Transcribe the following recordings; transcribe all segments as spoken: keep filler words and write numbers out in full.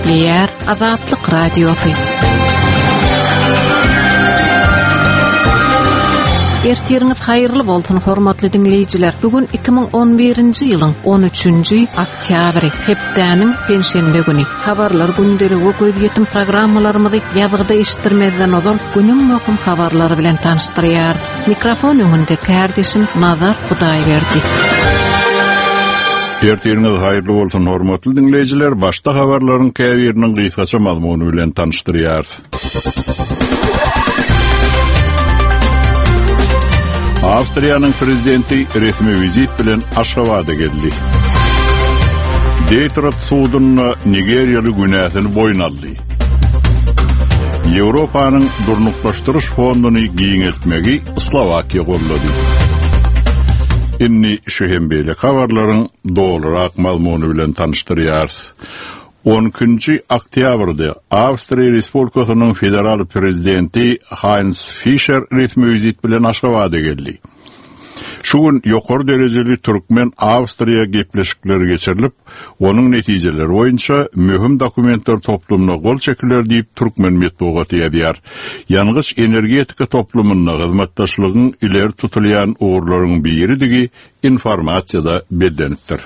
Gepleýär Azatlyk Radiosy. Ertiriňiz haýyrly bolsun, hormatly diňleýjiler. Bu gün iki müň on birinji ýylyň on üçünji oktýabry, hepdäniň penşenbe güni. Habarlar gündeligi we gözýetim programmalarymyzy ýazgyda eşitdirmezden ozal günüň möhüm habarlary bilen tanyşdyrýarys. Mikrofon öňünde kardeşim Nazar Hudaýberdi. Ertiriňiz haýyrly bolsun, hormatly diňleýjiler. Başda habarlaryň käbiriniň gysgaça mazmuny bilen tanyşdyrýarys. Awstriýanyň prezidenti resmi wizit bilen Aşgabada geldi. Detroit sudunda Nigeriýaly günäsini boýun aldy. Ýewropanyň durnuklaşdyryş fonduny giňeltmegi Slowakiýa gollady. Indi şu hem beýle habarlaryň dolurak mazmuny bilen tanyşdyrýarys. on ikinji oktýabrda Awstriýa Respublikasynyň federal prezidenti Heinz Fischer resmi wizit bilen Aşgabada geldi. Şu gün ýokary derejeli Türkmen-Awstriýa gepleşikleri geçirilip, onuň netijeleri boýunça möhüm dokumentler toplumyna gol çekiler diýip Türkmen metbugaty ýazýar. Ýangyç energetika toplumynda hyzmatdaşlygyň ileri tutulýan ugurlaryň biridigi informasiýada bellenipdir.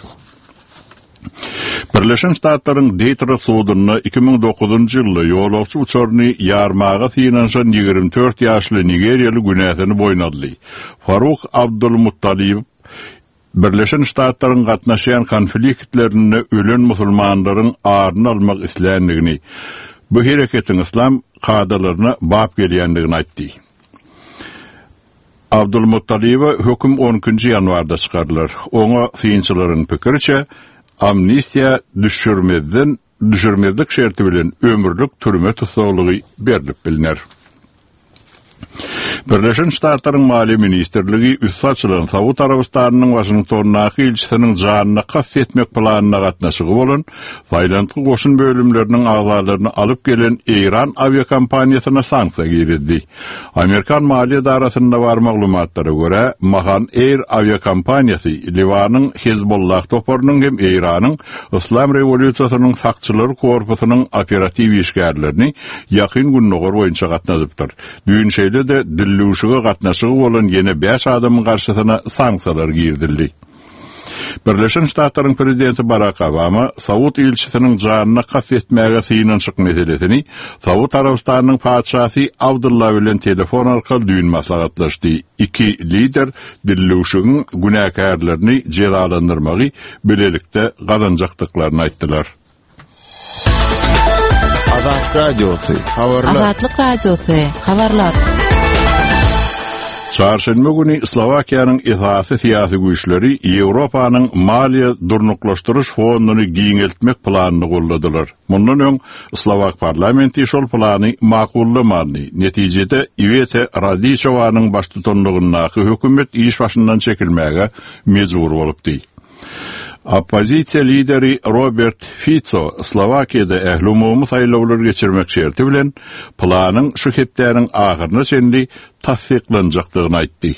Birleşen Ştatlaryň Detroit sudunda iki müň dokuzynjy ýylda ýolagçy uçaryny ýarmaga synanyşan ýigrimi dört ýaşly Nigeriýaly günäsini boýun aldy. Faruk Abdulmuttalib Birleşen Ştatlaryň gatnaşýan konfliktlerinde ölen musulmanlaryň aryny almak isländigini, bu hereketiň islam kadalaryna bap gelýändigini aýtdy. Abdulmuttalibe höküm on ikinji ýanwarda çykarylar. Oňa synçylaryň pikiriçe amnistiýa düşürmezden, düşürmezlik şerti bilen ömürlik türme tussaglygy berilip biliner. Birleşen Ştatlaryň Maliýe Ministrligi üsti açylan Saud Arabystanynyň Waşingtondaky ilçisiniň janyna kast etmek planyna gatnaşygy bolan Saýlantgy goşun bölümleriniň agzalaryny alyp gelen Eýran awiakompaniýasyna sanksiýa girizdi. Amerikan maliýe edarasynda bar maglumatlara görä, Mahan Air awiakompaniýasy Liwanyň Hezbollah toparynyň hem Eýranyň Islam rewolýusiýasynyň sakçylar korpusynyň operatiw işgärlerini ýakyn gündogar boýunça gatnadypdyr. Düýn şeýle-de dillüşige gatnaşygy bolan ýene bäş adamyň garşysyna sanksiýalar girizildi. Birleşen Ştatlaryň prezidenti Barack Obama Saud ilçisiniň janyna kast etmäge synanyşyk meselesini Saud Arabystanynyň patyşasy Abdullah bilen telefon arkaly düýn maslahatlaşdy. Iki lider dillüşigiň günäkärlerini jezalandyrmagy bilelikde gazanjakdyklaryny aýtdylar. Azatlyk Radiosy, habarlar. Azatlyk Radiosy, habarlar. Çarşenbe güni Slowakiýanyň esasy syýasy güýçleri Ýewropanyň maliýe durnuklaşdyryş fonduny giňeltmek planyny golladylar. Mundan öň Slowak parlamenti şol plany makullamady. Netijede Iwete Radiçowanyň baştutanlygyndaky hökümet iş başyndan çekilmäge mejbur bolupdy. Oppozisiýa lideri Robert Fico Slowakiýada ähli umumy saýlawlar geçirmek şerti bilen planyň şu hepdäniň ahyryna çenli tassyklanjakdygyny aýtdy.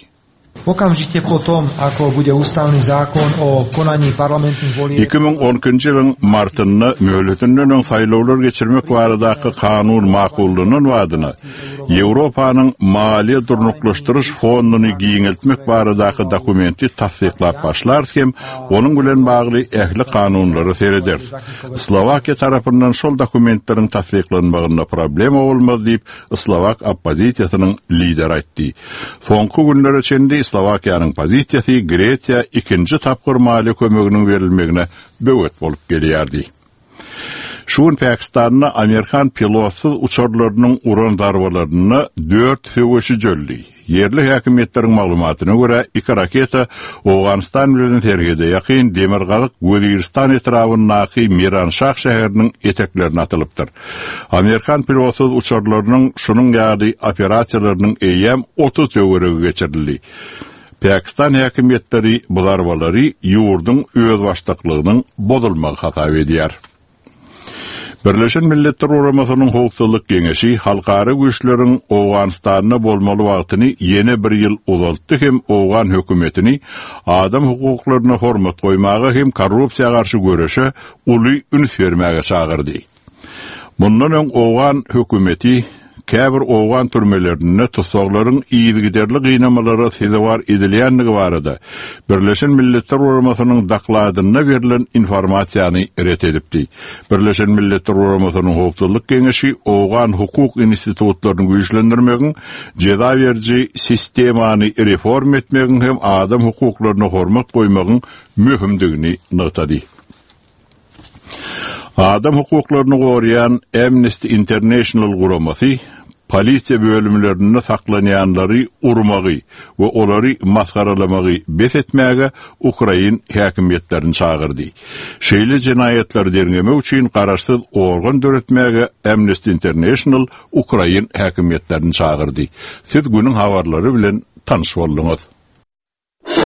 Okamžite po tom, ako bude ústavný zákon o konaní parlamentných volieb Iki müň on ikinji ýylyň martynda möhletinden öň saýlawlar geçirmek baradaky kanun makullanan badyna Ýewropanyň maliýe durnuklaşdyryş fonduny giňeltmek baradaky dokumenti tassyklap başlarys hem onuň bilen bagly ähli kanunlary serederis. Slowakiýa tarapyndan şol dokumentleriň tassyklanmagynda problema bolmaz diýip Slowak oppozisiýasynyň lideri aýtdy. Soňky günlere çenli Slowakiýanyň pozisiýasy Gresiýa ikinji tapgyr maliýe kömeginiň berilmegine böwet bolup gelýärdi. Şu gün Pakistanda Amerikan pilotsyz uçarlarynyň uran zarbalarynda dört söweşi jöldi. Ýerli häkimiýetleriň maglumatyna görä iki raketa Owganistan bilen serhede ýakyn Demirgazyk Weziristan etrabyndaky Miranşah şäheriniň eteklerine atylypdyr. Amerikan pilotsyz uçarlarynyň şunuň ýaly operasiýalarynyň eýýäm otuz töweregi geçirildi. Pakistan häkimiýetleri bu zarbalary ýurduň özbaşdaklygynyň bozulmagy hasap edýär. Birleşen Milletler Guramasynyň Howpsuzlyk Geňeşi halkara güýçleriň Owganystanda bolmaly wagtyny ýene bir ýyl uzaltdy hem Owgan hökümetini adam hukuklaryna hormat goýmaga hem korrupsiýa garşy göreşe uly üns bermäge çagyrdy. Mundan öň Owgan hökümeti käbir Owgan türmelerinde tussaglaryň yzygiderli gynamalara sezewar edilýändigi barada Birleşen Milletler Guramasynyň dokladynda berlen informasiýany ret edipdi. Birleşen Milletler Guramasynyň Howpsuzlyk Geňeşi Owgan hukuk institutlaryny güýçlendirmegiň, jeza beriji sistemany reform etmegiň hem adam hukuklaryna hormat goýmagyň möhümdigini nygtady. Adam hukuklaryny goraýan Amnesty International guramasy polisiýa bölümlerinde saklanýanlary urmagy we olary masgaralamagy bes etmäge Ukrain häkimiýetlerini çagyrdy. Şeýle jenaýatlary derňemek üçin garaşsyz organ döretmäge Amnesty International Ukrain häkimiýetlerini çagyrdy. Siz günüň habarlary bilen tanyş bolduňyz.